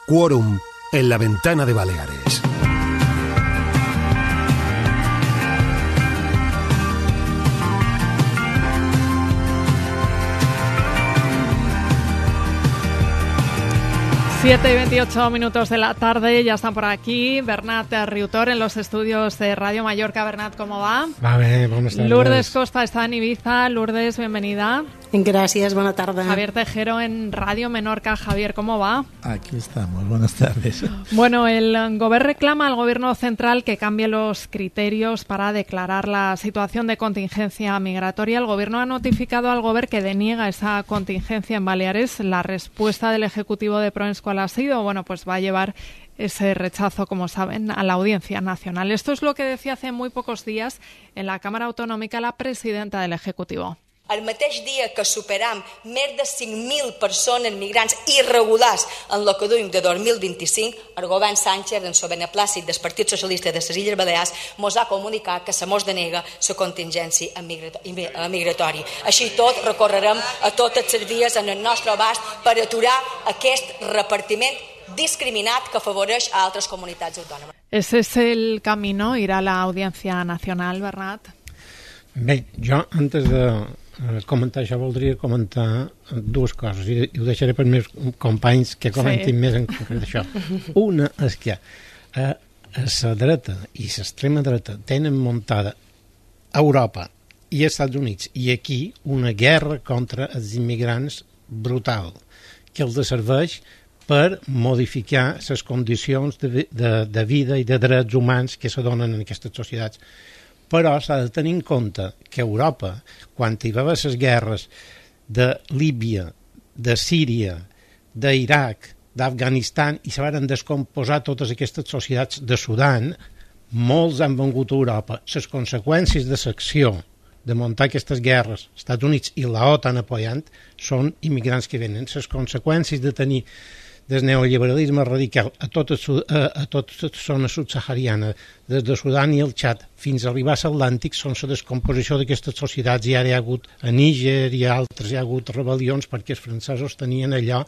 Quórum en la ventana de Baleares. Siete y 28 minutos de la tarde, ya están por aquí Bernat Riutor en los estudios de Radio Mallorca. Bernat, ¿cómo va? Va bé, buenas tardes. Lourdes Costa está en Ibiza. Lourdes, bienvenida. Gracias, buena tarde. Javier Tejero en Radio Menorca. Javier, ¿cómo va? Aquí estamos, buenas tardes. Bueno, el Govern reclama al Gobierno central que cambie los criterios para declarar la situación de contingencia migratoria. El Gobierno ha notificado al Govern que deniega esa contingencia en Baleares. La respuesta del Ejecutivo de Proens, ¿cuál ha sido? Bueno, pues va a llevar ese rechazo, como saben, a la Audiencia Nacional. Esto es lo que decía hace muy pocos días en la Cámara Autonòmica la presidenta del Ejecutivo. El mateix dia que superam més de 5.000 persones migrants irregulars en el que duim de 2025, el govern Sánchez, en el beneplàcit del Partit Socialista de les Illes Balears, mos ha comunicat que se mos denega la contingència migratòria. Així tot, recorrerem a totes les vies en el nostre abast per aturar aquest repartiment discriminat que afavoreix a altres comunitats autònomes. ¿Ese es el camino, ir a la Audiencia Nacional, Bernat? Bé, jo, antes de comentar això, voldria comentar dues coses, i ho deixaré per meus companys que comentin més en concret això. Una és que la dreta i l'extrema dreta tenen muntada a Europa i als Estats Units i aquí una guerra contra els immigrants brutal, que els serveix per modificar les condicions de vida i de drets humans que se donen en aquestes societats. Però s'ha de tenir en compte que Europa, quan hi va haver les guerres de Líbia, de Síria, d'Iraq, d'Afganistan, i se van descomposar totes aquestes societats de Sudan, molts han vengut a Europa. Les conseqüències de l'acció de muntar aquestes guerres, els Estats Units i l'OTAN apoyant, són immigrants que venen. Les conseqüències de tenir del neoliberalisme radical a tota la zona subsahariana, des de Sudan i el Txad fins a arribar a l'Atlàntic, són la descomposició d'aquestes societats, i ara hi ha hagut a Níger i a altres, hi ha hagut rebel·lions perquè els francesos tenien allò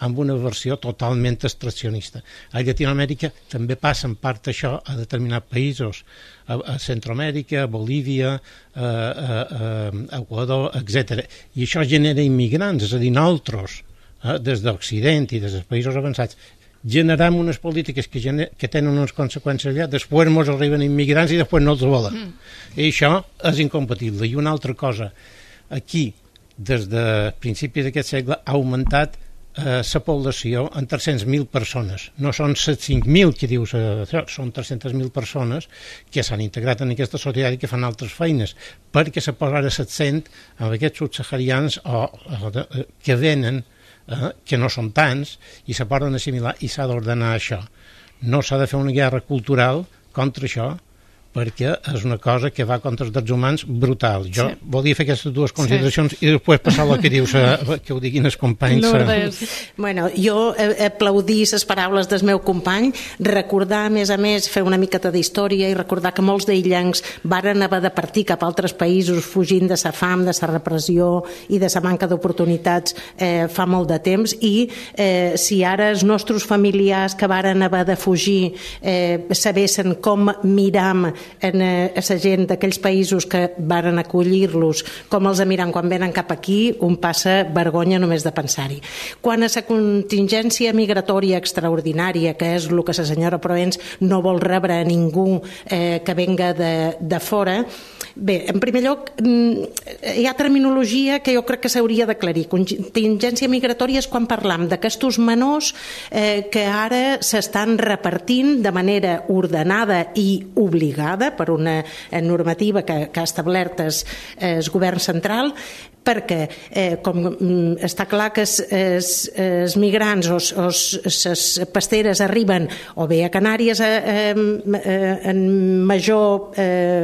amb una versió totalment extraccionista. A Llatinoamèrica també passa en part això a determinats països, a Centroamèrica, a Bolívia, a Equador, etc. I això genera immigrants, és a dir, nosaltres, des d'Occident i des dels països avançats, generem unes polítiques que tenen unes conseqüències allà, després ens arriben immigrants i després no els volen. I això és incompatible. I una altra cosa, aquí, des de principis d'aquest segle, ha augmentat la població en 300.000 persones. No són 5.000 que dius això, són 300.000 persones que s'han integrat en aquesta societat i que fan altres feines, perquè se posa l'accent en aquests subsaharians que venen, que no són tants, i se poden assimilar i s'ha d'ordenar això. No s'ha de fer una guerra cultural contra això, perquè és una cosa que va contra els drets humans brutal. Jo volia fer aquestes dues consideracions i després passar el que dius, que ho diguin els companys. Lourdes. Bueno, jo aplaudir les paraules del meu company, recordar, a més, fer una miqueta d'història i recordar que molts d'aïllancs varen haver de partir cap a altres països fugint de la fam, de la repressió i de la manca d'oportunitats fa molt de temps, i si ara els nostres familiars que varen haver de fugir sabessin com miram a la gent d'aquells països que varen acollir-los, com els miran quan venen cap aquí, un passa vergonya només de pensar-hi. Quan a la contingència migratòria extraordinària, que és el que la senyora Proens no vol rebre a ningú que venga de fora, bé, en primer lloc, hi ha terminologia que jo crec que s'hauria d'aclarir. Contingència migratòria és quan parlam d'aquestos menors que ara s'estan repartint de manera ordenada i obligada per una normativa que ha establert el govern central, perquè com està clar que els migrants o les pasteres arriben o bé a Canàries en major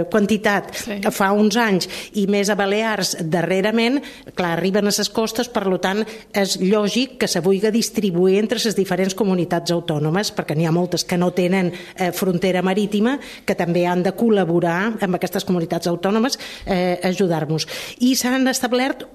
quantitat fa uns anys i més a Balears darrerament, clar, arriben a les costes, per tant és lògic que se vulgui distribuir entre les diferents comunitats autònomes, perquè n'hi ha moltes que no tenen frontera marítima, que també han de col·laborar amb aquestes comunitats autònomes, ajudar-nos. I s'han establert establert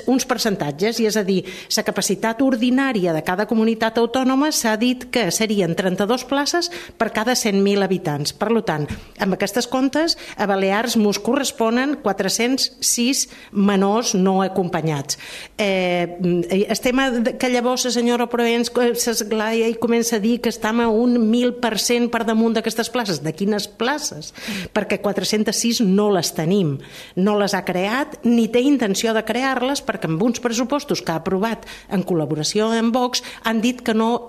uns percentatges, i és a dir, la capacitat ordinària de cada comunitat autònoma s'ha dit que serien 32 places per cada 100.000 habitants. Per tant, amb aquestes comptes, a Balears mos corresponen 406 menors no acompanyats. El tema que llavors la senyora Proens s'esglaia i comença a dir que estem a un 1.000% per damunt d'aquestes places. De quines places? Perquè 406 no les tenim. No les ha creat ni té intenció de crear-les, perquè amb uns pressupostos que ha aprovat en col·laboració amb Vox han dit que no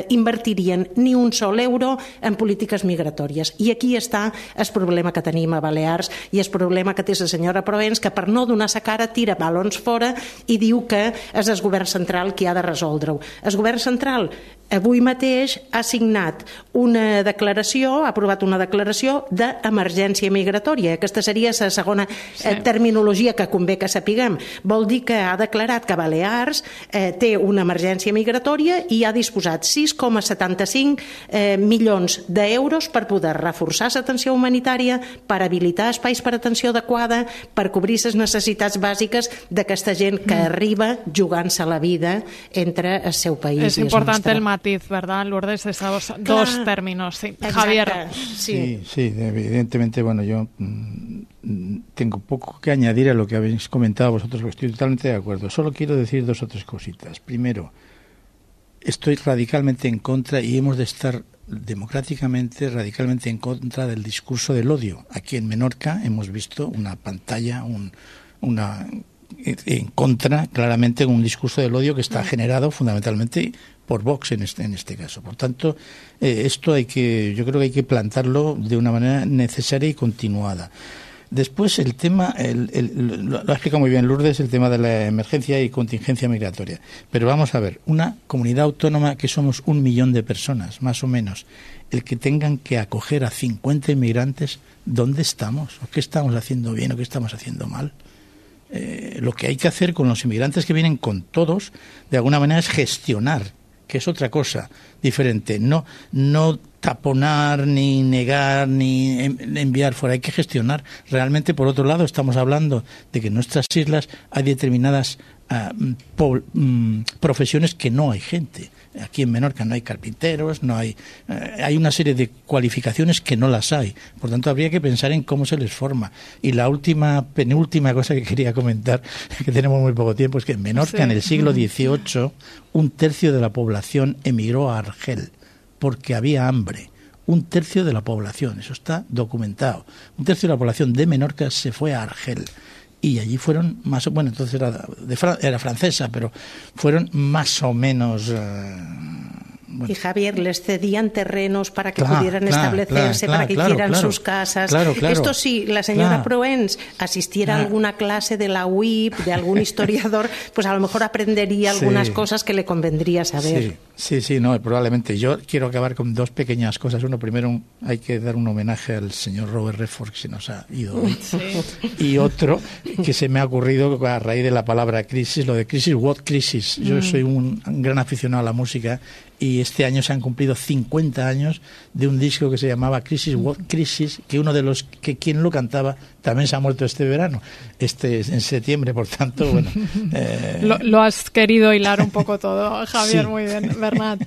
invertirien ni un sol euro en polítiques migratòries. I aquí està el problema que tenim a Balears i el problema que té la senyora Proens, que per no donar sa cara tira balons fora i diu que és el govern central qui ha de resoldre-ho. El govern central avui mateix ha signat una declaració, ha aprovat una declaració d'emergència migratòria. Aquesta seria la segona terminologia que convé que sapiguem. Vol dir que ha declarat que Balears té una emergència migratòria i ha disposat 6,75 milions d'euros per poder reforçar l'atenció humanitària, per habilitar espais per atenció adequada, per cobrir les necessitats bàsiques d'aquesta gent que arriba jugant-se la vida entre el seu país i el nostre. És important el matiz, ¿verdad, Lourdes? Esos dos términos. Sí. Javier. Sí, evidentemente, bueno, yo tengo poco que añadir a lo que habéis comentado vosotros, porque estoy totalmente de acuerdo. Solo quiero decir dos o tres cositas. Primero, estoy radicalmente en contra y hemos de estar democráticamente, radicalmente en contra del discurso del odio. Aquí en Menorca hemos visto una pantalla, en contra, claramente, un discurso del odio que está generado fundamentalmente por Vox en este caso. Por tanto, esto yo creo que hay que plantarlo de una manera necesaria y continuada. Después el tema, lo ha explicado muy bien Lourdes, el tema de la emergencia y contingencia migratoria. Pero vamos a ver, una comunidad autónoma que somos 1 millón de personas, más o menos, el que tengan que acoger a 50 inmigrantes, ¿dónde estamos? ¿O qué estamos haciendo bien o qué estamos haciendo mal? Lo que hay que hacer con los inmigrantes que vienen con todos, de alguna manera, es gestionar, que es otra cosa diferente. No taponar, ni negar, ni enviar fuera. Hay que gestionar. Realmente, por otro lado, estamos hablando de que en nuestras islas hay determinadas profesiones que no hay gente. Aquí en Menorca no hay carpinteros, hay una serie de cualificaciones que no las hay. Por tanto, habría que pensar en cómo se les forma. Y la penúltima cosa que quería comentar, que tenemos muy poco tiempo, es que en Menorca, en el siglo XVIII, 1/3 de la población emigró a Argel porque había hambre. 1/3 de la población, eso está documentado. 1/3 de la población de Menorca se fue a Argel. Y allí fueron más, bueno, entonces era francesa, pero fueron más o menos... Bueno. Y Javier, les cedían terrenos para que pudieran establecerse, para que hicieran sus casas. Esto sí, la señora Proens asistiera a alguna clase de la UIP, de algún historiador, pues a lo mejor aprendería algunas cosas que le convendría saber. Sí, no, probablemente. Yo quiero acabar con dos pequeñas cosas. Uno, primero, hay que dar un homenaje al señor Robert Redford, que se nos ha ido hoy. Y otro, que se me ha ocurrido a raíz de la palabra crisis, lo de crisis, what crisis. Yo soy un gran aficionado a la música y este año se han cumplido 50 años de un disco que se llamaba Crisis, What Crisis, que uno de los que quien lo cantaba también se ha muerto este verano, en septiembre, por tanto, bueno... Lo has querido hilar un poco todo, Javier, muy bien. Bernat.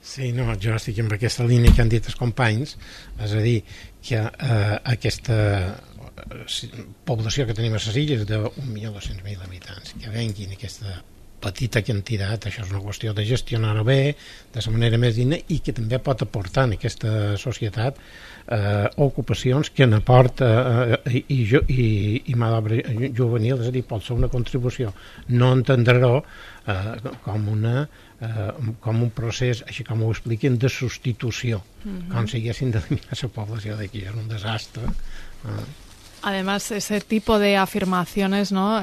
Sí, no, jo estic en aquesta línia que han dit els companys, és a dir, que aquesta població que tenim a les illes de 1.200.000 habitants, que venguin aquesta petita quantitat, això és una qüestió de gestionar-ho bé, de la manera més digna, i que també pot aportar en aquesta societat ocupacions que n'aporta i mà d'obra juvenil, és a dir, pot ser una contribució. No entendre-ho com un procés, així com ho expliquen, de substitució, com si haguessin d'eliminar la població d'aquí. És un desastre. Además, ese tipo de afirmaciones, ¿no?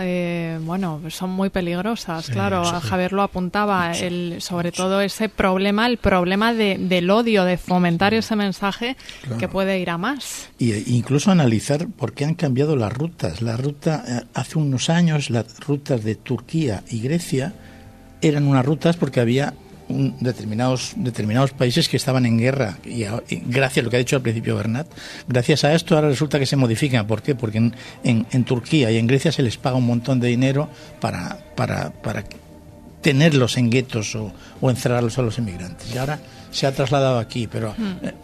Bueno, son muy peligrosas, sí, claro. Sí. Javier lo apuntaba, sobre todo ese problema, el problema del odio, de fomentar ese mensaje, claro, que puede ir a más. Y incluso analizar por qué han cambiado las rutas. La ruta, hace unos años, las rutas de Turquía y Grecia eran unas rutas porque había determinados países que estaban en guerra y gracias a lo que ha dicho al principio Bernat, gracias a esto ahora resulta que se modifica. ¿Por qué? Porque en Turquía y en Grecia se les paga un montón de dinero para tenerlos en guetos o encerrarlos a los inmigrantes. Y ahora se ha trasladado aquí, pero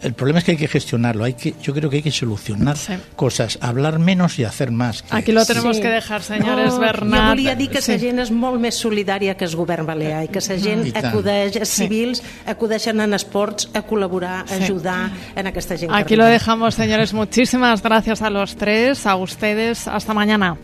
el problema es que hay que gestionarlo. Yo creo que hay que solucionar cosas, hablar menos y hacer más. Aquí lo tenemos que dejar, senyores. Bernat. Jo volia dir que la gent és molt més solidària que el govern balear i que la gent acudeix, els civils acudeixen en esports a col·laborar, a ayudar en aquesta gent. Aquí lo dejamos, señores. Muchísimas gracias a los tres, a ustedes. Hasta mañana.